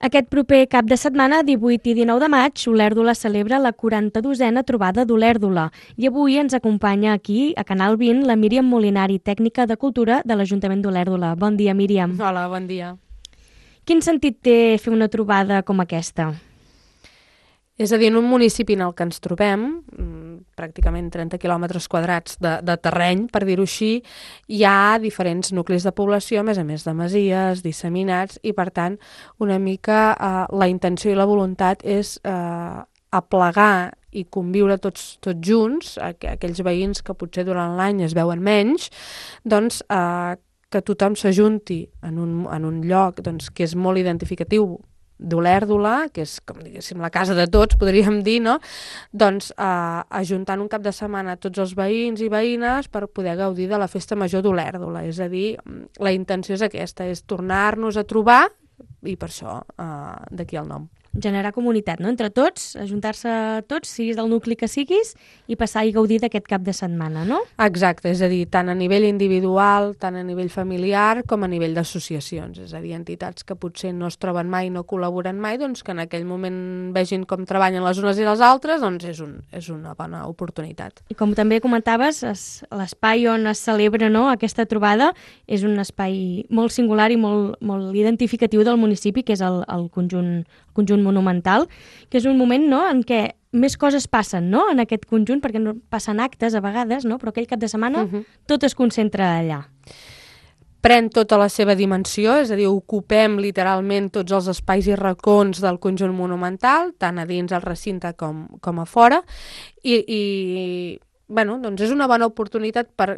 Aquest proper cap de setmana, 18 i 19 de maig, Olèrdola celebra la 42a trobada d'Olèrdola i avui ens acompanya aquí, a Canal 20, la Míriam Molinari, tècnica de cultura de l'Ajuntament d'Olèrdola. Bon dia, Míriam. Hola, bon dia. Quin sentit té fer una trobada com aquesta? És a dir, en un municipi en el que ens trobem, pràcticament 30 quilòmetres quadrats de terreny, per dir-ho així, hi ha diferents nuclis de població, a més de masies, disseminats, i per tant, una mica la intenció i la voluntat és aplegar i conviure tots junts, aquells veïns que potser durant l'any es veuen menys, doncs que tothom s'ajunti en un lloc doncs, que és molt identificatiu d'Olèrdola, que és, com diguéssim, la casa de tots, podríem dir, no? Doncs ajuntant un cap de setmana tots els veïns i veïnes per poder gaudir de la festa major d'Olèrdola. És a dir, la intenció és aquesta, és tornar-nos a trobar, i per això d'aquí el nom. Generar comunitat, no? Entre tots, ajuntar-se tots, siguis del nucli que siguis, i passar i gaudir d'aquest cap de setmana, no? Exacte, és a dir, tant a nivell individual, tant a nivell familiar, com a nivell d'associacions. És a dir, entitats que potser no es troben mai, no col·laboren mai, doncs que en aquell moment vegin com treballen les unes i les altres, doncs és una bona oportunitat. I com també comentaves, l'espai on es celebra, no, aquesta trobada és un espai molt singular i molt identificatiu del municipi, que és el conjunt monumental, que és un moment, no, en què més coses passen, no, en aquest conjunt, perquè no passen actes a vegades, no, però aquell cap de setmana tot es concentra allà. Pren tota la seva dimensió, és a dir, ocupem literalment tots els espais i racons del conjunt monumental, tant a dins el recinte com a fora, i bueno, doncs és una bona oportunitat per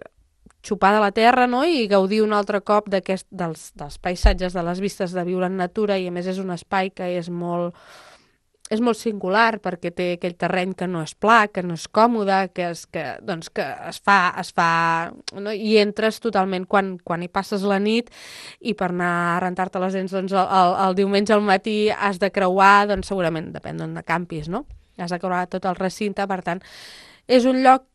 xupar de la terra, no? I gaudir un altre cop dels paisatges, de les vistes, de viure en natura, i a més és un espai que és molt singular perquè té aquell terreny que no és pla, que no és còmode, que es fa no? I entres totalment quan hi passes la nit, i per anar a rentar-te les dents doncs, el diumenge al matí has de creuar, doncs segurament depèn d'on campis, no? Has de creuar tot el recinte, per tant, és un lloc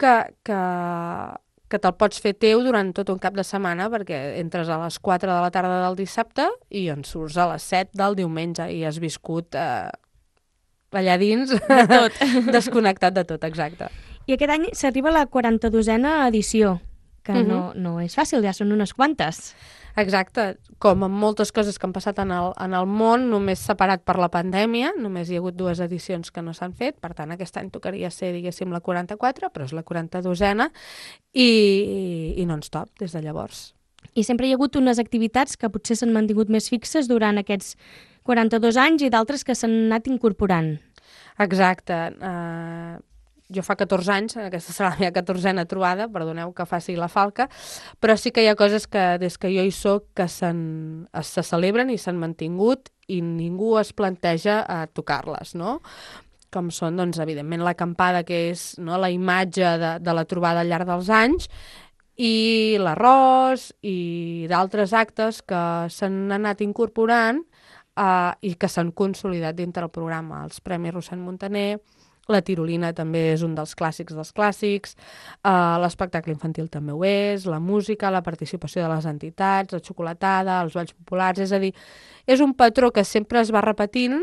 que te'l pots fer teu durant tot un cap de setmana, perquè entres a les 4 de la tarda del dissabte i en surts a les 7 del diumenge i has viscut allà dins de tot. Desconnectat de tot, exacte. I aquest any s'arriba a la 42a edició, que no és fàcil, ja són unes quantes. Exacte, com amb moltes coses que han passat en el món, només separat per la pandèmia, només hi ha hagut 2 edicions que no s'han fet, per tant aquest any tocaria ser, diguéssim, la 44, però és la 42a, i non-stop des de llavors. I sempre hi ha hagut unes activitats que potser s'han mantingut més fixes durant aquests 42 anys i d'altres que s'han anat incorporant. Exacte. Jo fa 14 anys, aquesta serà la meva 14a trobada, perdoneu que faci la falca, però sí que hi ha coses que des que jo hi soc que se celebren i s'han mantingut i ningú es planteja a tocar-les, no? Com són, doncs, evidentment, l'acampada, que és, no, la imatge de la trobada al llarg dels anys, i l'arròs i d'altres actes que s'han anat incorporant i que s'han consolidat dintre el programa. Els Premis Rossend Montaner, la tirolina també és un dels clàssics, l'espectacle infantil també ho és, la música, la participació de les entitats, la xocolatada, els balls populars, és a dir, és un patró que sempre es va repetint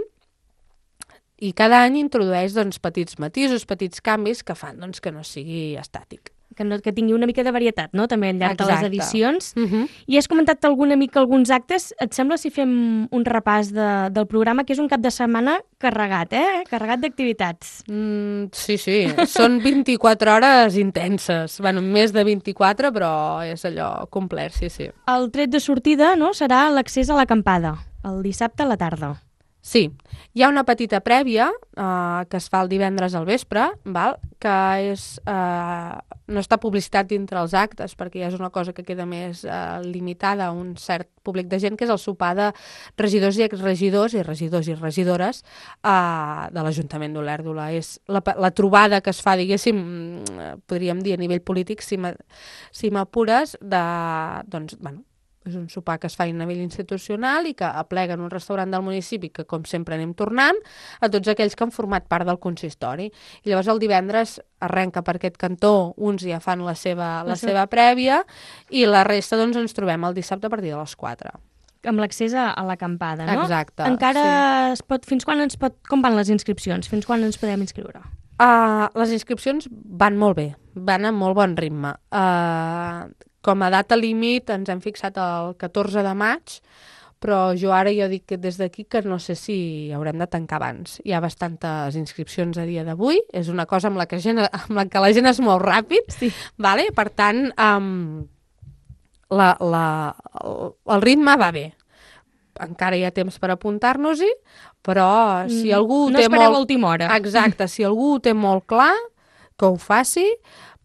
i cada any introdueix doncs, petits matisos, petits canvis que fan doncs, que no sigui estàtic. Que tingui una mica de varietat, no?, també al llarg de les edicions. I has comentat alguna mica alguns actes. Et sembla si fem un repàs del programa, que és un cap de setmana carregat, carregat d'activitats? Sí. Són 24 hores intenses. Bueno, més de 24, però és allò complet, sí. El tret de sortida, no?, serà l'accés a l'acampada, el dissabte a la tarda. Sí, hi ha una petita prèvia que es fa el divendres al vespre, que no està publicitat dintre els actes, perquè ja és una cosa que queda més limitada a un cert públic de gent, que és el sopar de regidors i exregidors i regidors i regidores de l'Ajuntament d'Olèrdola. És la trobada que es fa, diguéssim, podríem dir a nivell polític, si m'apures, doncs, bueno, és un sopar que es fa a nivell institucional i que aplega en un restaurant del municipi que, com sempre, anem tornant a tots aquells que han format part del consistori. I llavors el divendres arrenca per aquest cantó, uns ja fan la seva prèvia i la resta doncs, ens trobem el dissabte a partir de les 4. amb l'accés a l'acampada, no? Exacte. Encara fins quan com van les inscripcions? Fins quan ens podem inscriure? Les inscripcions van molt bé, van amb molt bon ritme. Com a data límit ens hem fixat el 14 de maig, però jo ara dic que des d'aquí que no sé si haurem de tancar abans. Hi ha bastantes inscripcions a dia d'avui, és una cosa amb la que la gent es mou ràpid, sí. Vale? Per tant, el ritme va bé. Encara hi ha temps per apuntar-nos-hi, però si algú no té espereu a última hora. Exacte, si algú ho té molt clar, que ho faci,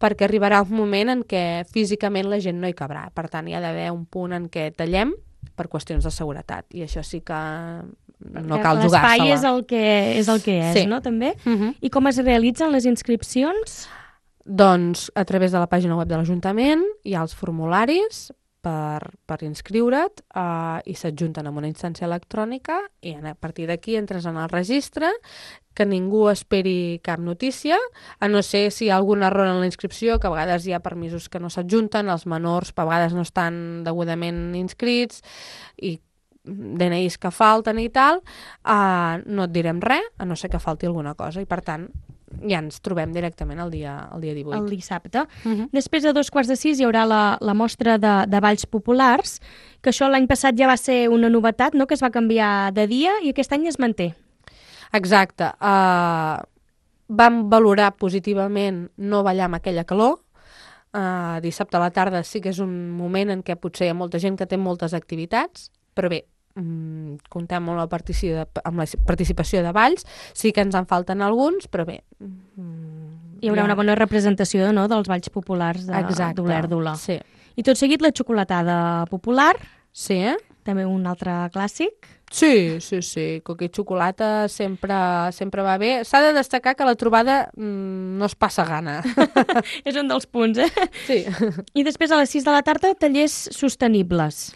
perquè arribarà un moment en què físicament la gent no hi cabrà. Per tant, hi ha d'haver un punt en què tallem per qüestions de seguretat, i això sí que no cal jugar-se-la. L'espai és el que és, sí. No? També? I com es realitzen les inscripcions? Doncs a través de la pàgina web de l'Ajuntament hi ha els formularis per inscriure't i s'adjunten amb una instància electrònica i a partir d'aquí entres en el registre, que ningú esperi cap notícia, a no ser si hi ha algun error en la inscripció, que a vegades hi ha permisos que no s'adjunten, els menors a vegades no estan degudament inscrits i DNIs que falten i tal, no et direm res, a no ser que falti alguna cosa, i per tant ja ens trobem directament el dia 18. El dissabte. Després de 5:15 hi haurà la mostra de balls populars, que això l'any passat ja va ser una novetat, no? Que es va canviar de dia i aquest any es manté. Exacte. Vam valorar positivament no ballar amb aquella calor. Dissabte a la tarda sí que és un moment en què potser hi ha molta gent que té moltes activitats, però bé, comptem amb la participació de balls, sí que ens en falten alguns, però bé. Hi haurà una bona representació, no?, dels balls populars d'Olèrdola. Sí. I tot seguit la xocolatada popular. Sí. També un altre clàssic. Sí. Coca i xocolata sempre va bé. S'ha de destacar que la trobada no es passa gana. És un dels punts, Sí. I després a les 6 de la tarda, tallers sostenibles.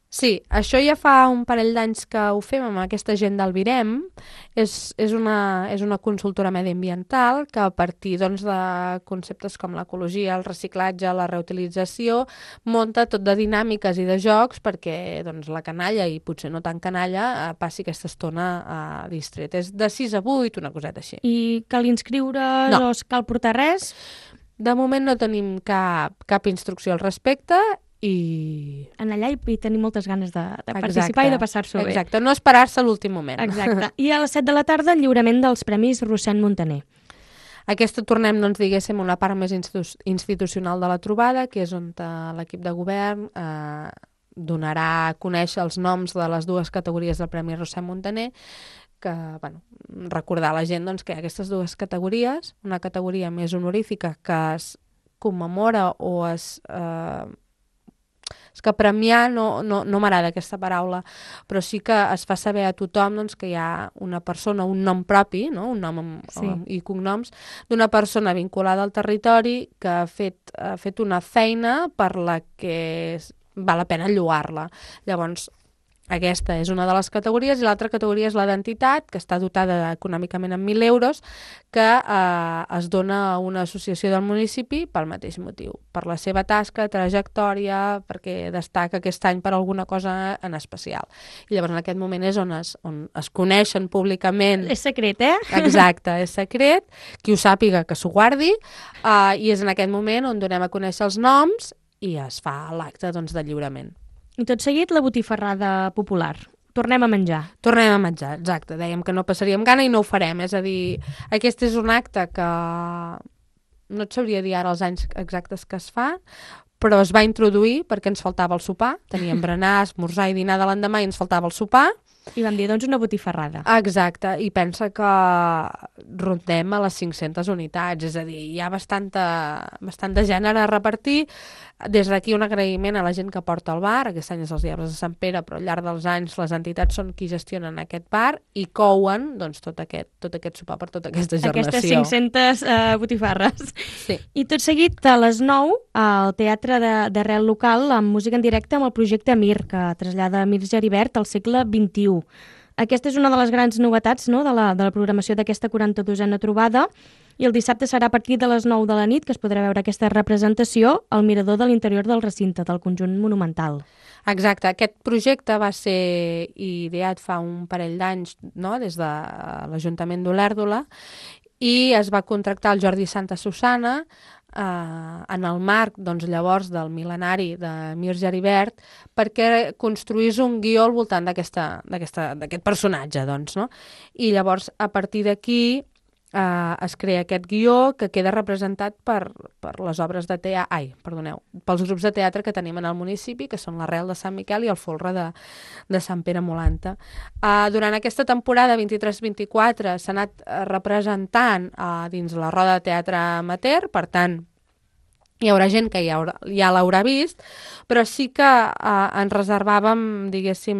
Sí, això ja fa un parell d'anys que ho fem amb aquesta gent del Virem. És una consultora mediambiental que a partir doncs, de conceptes com l'ecologia, el reciclatge, la reutilització, munta tot de dinàmiques i de jocs perquè doncs, la canalla, i potser no tan canalla, passi aquesta estona distret. És de 6 a 8, una coseta així. I cal inscriure's o cal portar res? De moment no tenim cap instrucció al respecte, i en allà hi tenim moltes ganes de participar i de passar-s'ho bé. Exacte, no esperar-se a l'últim moment. Exacte. I a les 7 de la tarda el lliurament dels Premis Rossend Muntaner. Aquesta tornem, doncs, diguéssim, una part més institucional de la trobada, que és on l'equip de govern donarà a conèixer els noms de les dues categories del Premi Rossend Muntaner, que, bueno, recordar a la gent doncs, que hi ha aquestes dues categories, una categoria més honorífica que es commemora o és que premiar no m'agrada aquesta paraula, però sí que es fa saber a tothom doncs, que hi ha una persona, un nom propi, no? Un nom i cognoms, d'una persona vinculada al territori que ha fet una feina per la que val la pena lloar-la. Llavors, aquesta és una de les categories i l'altra categoria és la d'entitat, que està dotada econòmicament amb 1.000 euros, que es dona a una associació del municipi pel mateix motiu, per la seva tasca, trajectòria, perquè destaca aquest any per alguna cosa en especial. I llavors en aquest moment és on es coneixen públicament. És secret, Exacte, és secret, qui ho sàpiga que s'ho guardi, i és en aquest moment on donem a conèixer els noms i es fa l'acte doncs, de lliurament. I tot seguit la botifarrada popular. Tornem a menjar. Tornem a menjar, exacte. Dèiem que no passaríem gana i no ho farem. És a dir, aquest és un acte que no et sabria dir ara els anys exactes que es fa, però es va introduir perquè ens faltava el sopar. Teníem berenar, esmorzar i dinar de l'endemà i ens faltava el sopar. I vam dir, doncs, una botifarrada. Exacte, i pensa que rondem a les 500 unitats, és a dir, hi ha bastant de gènere a repartir. Des d'aquí un agraïment a la gent que porta el bar, aquest any és els Diables de Sant Pere, però al llarg dels anys les entitats són qui gestionen aquest bar i couen doncs, tot aquest sopar per tota aquesta gernació. Aquestes 500 botifarres. Sí. I tot seguit, a les 9, al Teatre d'Arrel Local, amb música en directe amb el projecte Mir, que trasllada Mir Geribert al segle XXI. Aquesta és una de les grans novetats, no?, de la programació d'aquesta 42a trobada, i el dissabte serà a partir de les 9 de la nit que es podrà veure aquesta representació al mirador de l'interior del recinte, del conjunt monumental. Exacte, aquest projecte va ser ideat fa un parell d'anys, no?, des de l'Ajuntament d'Olèrdola, i es va contractar el Jordi Santa Susana en el marc, doncs, llavors del mil·lenari de Mir Geribert perquè construís un guió al voltant d'aquest personatge, doncs, no? I llavors, a partir d'aquí, es crea aquest guió que queda representat per les obres de pels grups de teatre que tenim en el municipi, que són l'Arrel de Sant Miquel i el Folre de Sant Pere Molanta. Durant aquesta temporada 23-24 s'ha anat representant dins la roda de teatre amateur, per tant, hi haurà gent que ja l'haurà vist, però sí que ens reservàvem, diguéssim,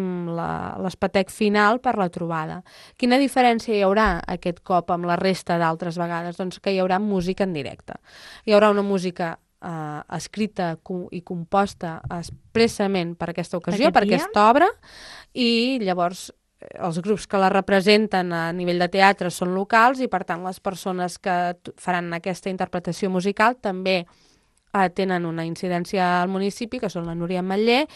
l'espetec final per la trobada. Quina diferència hi haurà aquest cop amb la resta d'altres vegades? Doncs que hi haurà música en directe. Hi haurà una música escrita i composta expressament per aquesta ocasió, per aquesta obra, i llavors els grups que la representen a nivell de teatre són locals i, per tant, les persones que faran aquesta interpretació musical també tenen una incidència al municipi, que són la Núria Ametller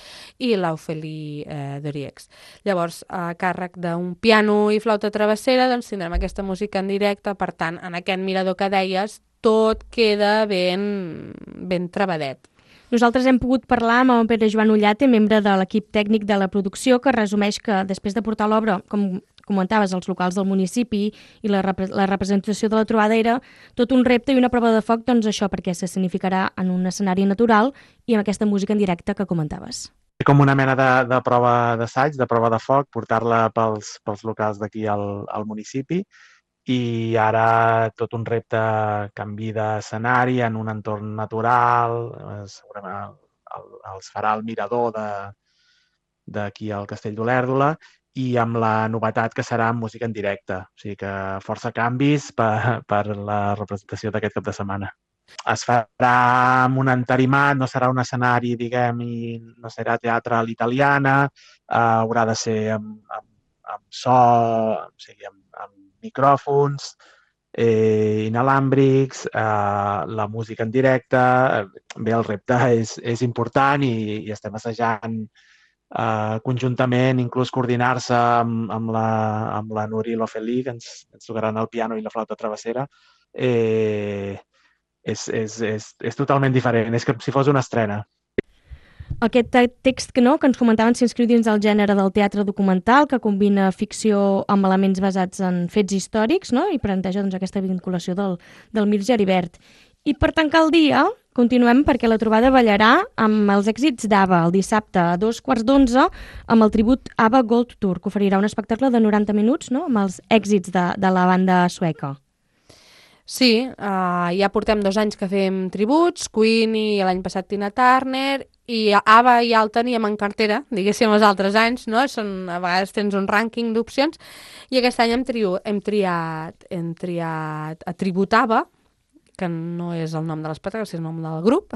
i l'Ofeli Doriex. Llavors, a càrrec d'un piano i flauta travessera, doncs tindrem aquesta música en directe, per tant, en aquest mirador que deies, tot queda ben trebadet. Nosaltres hem pogut parlar amb el Pere Joan Ullate, membre de l'equip tècnic de la producció, que resumeix que després de portar l'obra, com comentaves, als locals del municipi i la representació de la trobada era tot un repte i una prova de foc, doncs això, perquè s'escenificarà en un escenari natural i amb aquesta música en directe que comentaves. Com una mena de prova d'assaig, de prova de foc, portar-la pels locals d'aquí al municipi, i ara tot un repte, canvi d'escenari en un entorn natural, segurament els farà el mirador d'aquí al Castell d'Olèrdola, i amb la novetat que serà música en directe. O sigui que força canvis per la representació d'aquest cap de setmana. Es farà amb un entarimat, no serà un escenari, diguem, i no serà teatre a l'italiana, haurà de ser amb so, o sigui, amb micròfons inalàmbrics, la música en directe. Bé, el repte és important i estem assajant conjuntament, inclús coordinar-se amb la Núria i l'Ofeli, que ens tocaran el piano i la flauta travessera. És totalment diferent, és com si fos una estrena. Aquest text que ens comentaven s'inscriu dins del gènere del teatre documental, que combina ficció amb elements basats en fets històrics, no?, i planteja doncs, aquesta vinculació del Mir Geribert. I per tancar el dia, continuem perquè la trobada ballarà amb els èxits d'ABBA el dissabte a 2:15 amb el tribut ABBA Gold Tour, que oferirà un espectacle de 90 minuts, no?, amb els èxits de la banda sueca. Sí, ja portem 2 anys que fem tributs, Queen i l'any passat Tina Turner, i ABBA ja el teníem en cartera, diguéssim, els altres anys, no? A vegades tens un rànquing d'opcions, i aquest any hem triat a tribut ABBA, que no és el nom de l'espectacle, és el nom del grup,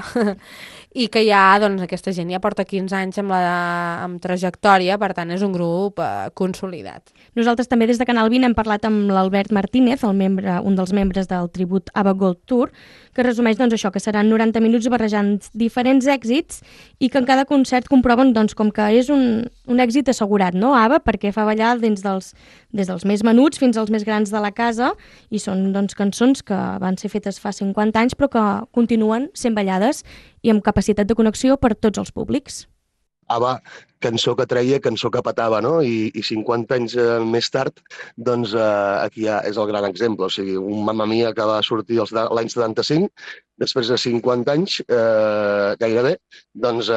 i que ja, doncs, aquesta gent ja porta 15 anys amb trajectòria, per tant, és un grup consolidat. Nosaltres també des de Canal 20 hem parlat amb l'Albert Martínez, un dels membres del tribut ABBA Gold Tour, que resumeix doncs, això, que seran 90 minuts barrejant diferents èxits i que en cada concert comproven doncs, com que és un èxit assegurat, no, ABBA, perquè fa ballar des dels més menuts fins als més grans de la casa, i són doncs, cançons que van ser fetes fa 50 anys però que continuen sent ballades i amb capacitat de connexió per tots els públics. ABBA, cançó que treia, cançó que petava, no? I 50 anys més tard, doncs aquí ja és el gran exemple. O sigui, un Mamma Mia que va sortir l'any 75, després de 50 anys, gairebé, doncs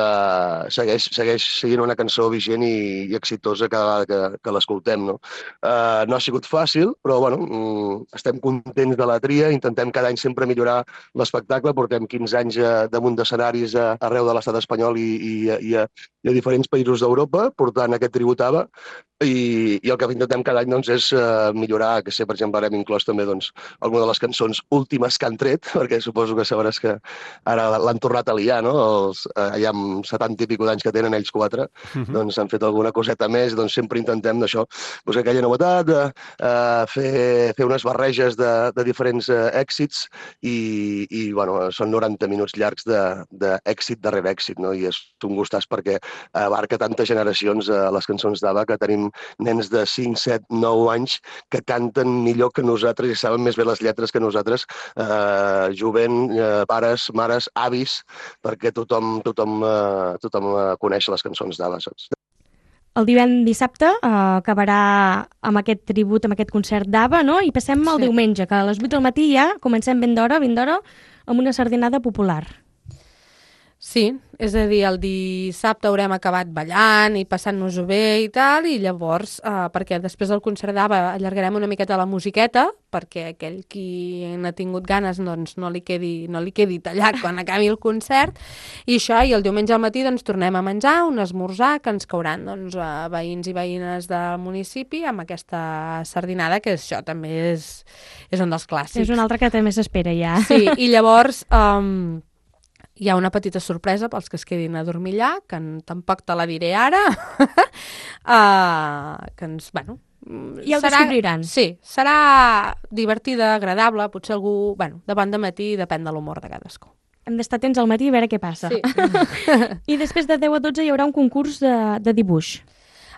segueix sent una cançó vigent i exitosa cada vegada que l'escoltem, no? No ha sigut fàcil, però bueno, estem contents de la tria, intentem cada any sempre millorar l'espectacle, portem 15 anys damunt d'escenaris arreu de l'estat espanyol i a diferents països d'Europa, portant aquest tribut ABBA, I el que intentem cada any doncs, és millorar, que sé, per exemple, ara hem inclòs també doncs, alguna de les cançons últimes que han tret, perquè suposo que sabràs que ara l'han tornat a liar, no? Ja amb 70 i escaig d'anys que tenen ells 4, doncs han fet alguna coseta més, doncs sempre intentem d'això, doncs aquella novetat, fer unes barreges de diferents èxits i bueno, són 90 minuts llargs d'èxit darrere èxit, no? I és un gustàs perquè abarca tantes generacions les cançons d'ABBA que tenim nens de 5, 7, 9 anys que canten millor que nosaltres i saben més bé les lletres que nosaltres, jovent, pares, mares, avis, perquè tothom coneix les cançons d'ABBA, saps? El dissabte acabarà amb aquest tribut, amb aquest concert d'ABBA, no? I passem al diumenge, que a les 8 del matí ja comencem ben d'hora, amb una sardinada popular. Sí, és a dir, el dissabte haurem acabat ballant i passant-nos-ho bé i tal, i llavors, perquè després del concert d'ABBA allargarem una miqueta la musiqueta, perquè aquell qui n'ha tingut ganes doncs, no li quedi tallat quan acabi el concert, i això, i el diumenge al matí doncs, tornem a menjar, un esmorzar, que ens cauran doncs, veïns i veïnes del municipi amb aquesta sardinada, que això també és un dels clàssics. És un altre que també s'espera ja. Sí, i llavors hi ha una petita sorpresa pels que es quedin a dormir allà, que tampoc te la diré ara, que ens, bueno... Ja ho descobriran. Sí, serà divertida, agradable, potser algú, bueno, de bon dematí, depèn de l'humor de cadascú. Hem d'estar atents al matí a veure què passa. Sí. I després de 10 a 12 hi haurà un concurs de dibuix.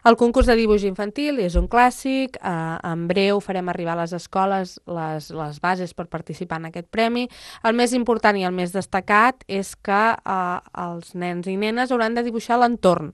El concurs de dibuix infantil és un clàssic, en breu farem arribar a les escoles les bases per participar en aquest premi. El més important i el més destacat és que els nens i nenes hauran de dibuixar l'entorn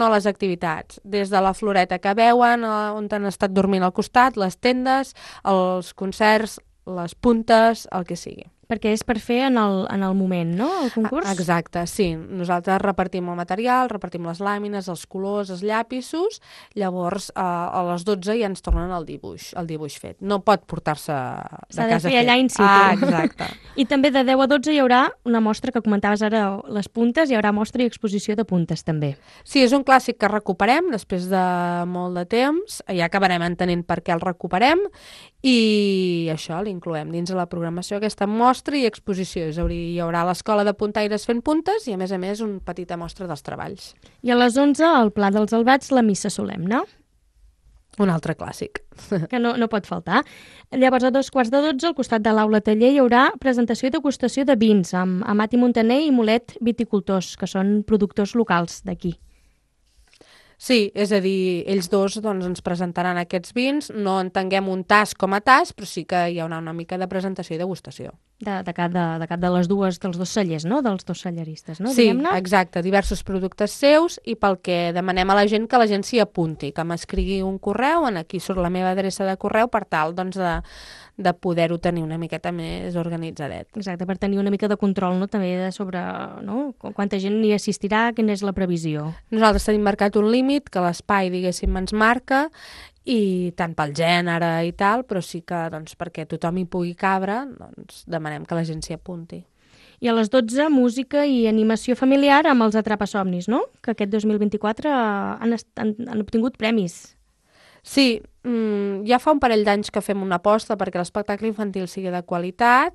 a les activitats, des de la floreta que veuen, on han estat dormint al costat, les tendes, els concerts, les puntes, el que sigui. Perquè és per fer en el moment, no?, el concurs? Exacte, sí. Nosaltres repartim el material, repartim les làmines, els colors, els llapisos, llavors a les 12 ja ens tornen el dibuix fet. No pot portar-se de casa fet. S'ha de fer allà in situ. Exacte. I també de 10 a 12 hi haurà una mostra que comentaves ara, les puntes, hi haurà mostra i exposició de puntes també. Sí, és un clàssic que recuperem després de molt de temps, ja acabarem entenent per què el recuperem, i això l'incloem dins de la programació, aquesta mostra i exposició. Hi haurà l'escola de puntaires fent puntes i, a més, una petita mostra dels treballs. I a les 11, al Pla dels Albats, la missa solemne. Un altre clàssic. Que no pot faltar. Llavors, a 2:15, al costat de l'aula taller, hi haurà presentació i degustació de vins amb Mati Montaner i Molet Viticultors, que són productors locals d'aquí. Sí, és a dir, ells dos doncs, ens presentaran aquests vins, no entenguem un tas com a tas, però sí que hi haurà una mica de presentació i degustació. De cap de les dels dos cellers, no?, dels dos celleristes, no?, sí, diguem-ne? Exacte, diversos productes seus, i pel que demanem a la gent que la gent s'hi apunti, que m'escrigui un correu, aquí surt la meva adreça de correu, per tal doncs, de poder-ho tenir una miqueta més organitzadet. Exacte, per tenir una mica de control, no?, també sobre, no?, quanta gent hi assistirà, quina és la previsió. Nosaltres tenim marcat un límit que l'espai, diguéssim, ens marca, i tant pel gènere i tal, però sí que doncs, perquè tothom hi pugui cabre, doncs, demanem que la gent s'hi apunti. I a les 12, música i animació familiar amb els Atrapasomnis, no?, que aquest 2024 han obtingut premis. Sí, ja fa un parell d'anys que fem una aposta perquè l'espectacle infantil sigui de qualitat.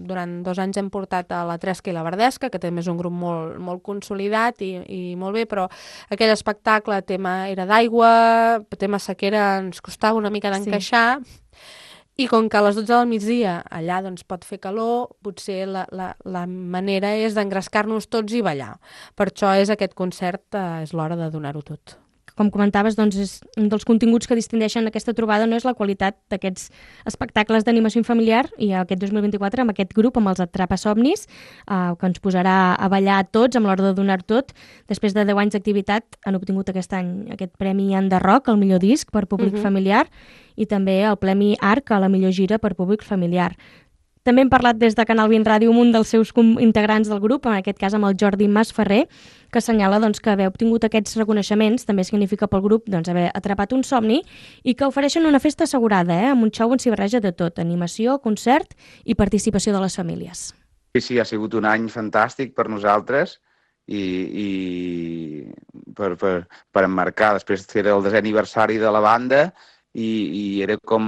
Durant 2 anys hem portat a la Tresca i la Verdesca, que també és un grup molt, molt consolidat i molt bé, però aquell espectacle, tema era d'aigua, tema sequera, ens costava una mica d'encaixar. Sí. I com que a les 12 del migdia allà doncs, pot fer calor, potser la manera és d'engrescar-nos tots i ballar. Per això és aquest concert, és l'hora de donar-ho tot. Com comentaves, doncs, és un dels continguts que distingeixen aquesta trobada, no és la qualitat d'aquests espectacles d'animació familiar, i aquest 2024 amb aquest grup, amb els Atrapasomnis, que ens posarà a ballar a tots, amb l'hora de donar tot. Després de 10 anys d'activitat han obtingut aquest any aquest Premi Enderroc, el millor disc per públic familiar, i també el Premi Arc a la millor gira per públic familiar. També hem parlat des de Canal 20 Ràdio amb un dels seus integrants del grup, en aquest cas amb el Jordi Masferrer, que assenyala doncs, que haver obtingut aquests reconeixements també significa pel grup doncs, haver atrapat un somni, i que ofereixen una festa assegurada, amb un xou on s'hi barreja de tot, animació, concert i participació de les famílies. Sí, ha sigut un any fantàstic per nosaltres i per emmarcar. Després era el 10è aniversari de la banda i era com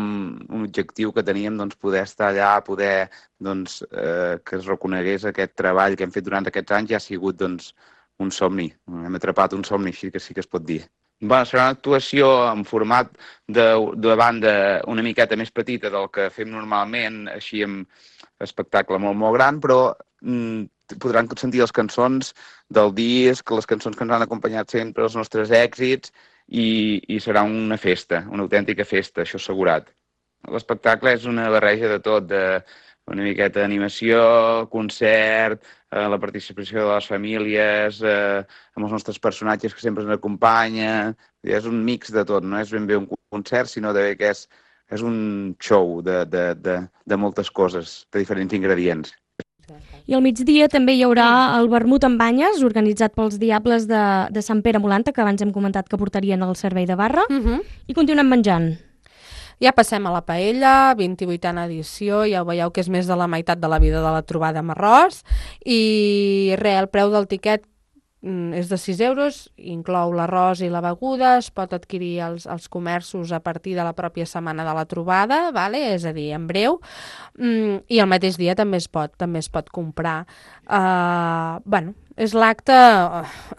un objectiu que teníem, doncs, poder estar allà, poder doncs, que es reconegués aquest treball que hem fet durant aquests anys. Ja ha sigut doncs, un somni. Hem atrapat un somni, així que sí que es pot dir. Bueno, serà una actuació en format de banda una miqueta més petita del que fem normalment, així amb espectacle molt, molt gran, però podran sentir les cançons del disc, les cançons que ens han acompanyat sempre, els nostres èxits, i serà una festa, una autèntica festa, això assegurat. L'espectacle és una barreja de tot, una miqueta d'animació, concert, la participació de les famílies, amb els nostres personatges que sempre ens acompanyen. És un mix de tot, no és ben bé un concert, sinó que és un show de moltes coses, de diferents ingredients. I al migdia també hi haurà el vermut amb banyes, organitzat pels Diables de Sant Pere Molanta, que abans hem comentat que portarien el servei de barra, i continuem menjant. Ja passem a la paella, 28a edició, ja ho veieu que és més de la meitat de la vida de la trobada amb arròs, i el preu del tiquet és de 6 euros, inclou l'arròs i la beguda, es pot adquirir als comerços a partir de la pròpia setmana de la trobada, vale? És a dir, en breu, i el mateix dia també es pot comprar. Bueno, és l'acte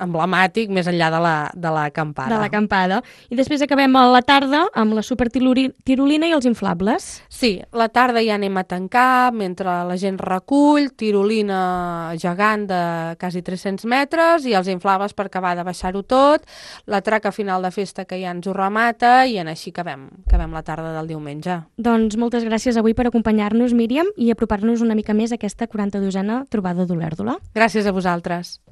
emblemàtic més enllà de l'acampada. De l'acampada. I després acabem a la tarda amb la supertirolina i els inflables. Sí, la tarda ja anem a tancar, mentre la gent recull, tirolina gegant de quasi 300 metres i els inflables per acabar de baixar-ho tot, la traca final de festa que ja ens ho remata i així acabem la tarda del diumenge. Doncs moltes gràcies avui per acompanyar-nos, Míriam, i apropar-nos una mica més a aquesta 42a trobada d'Olèrdola. Gràcies a vosaltres.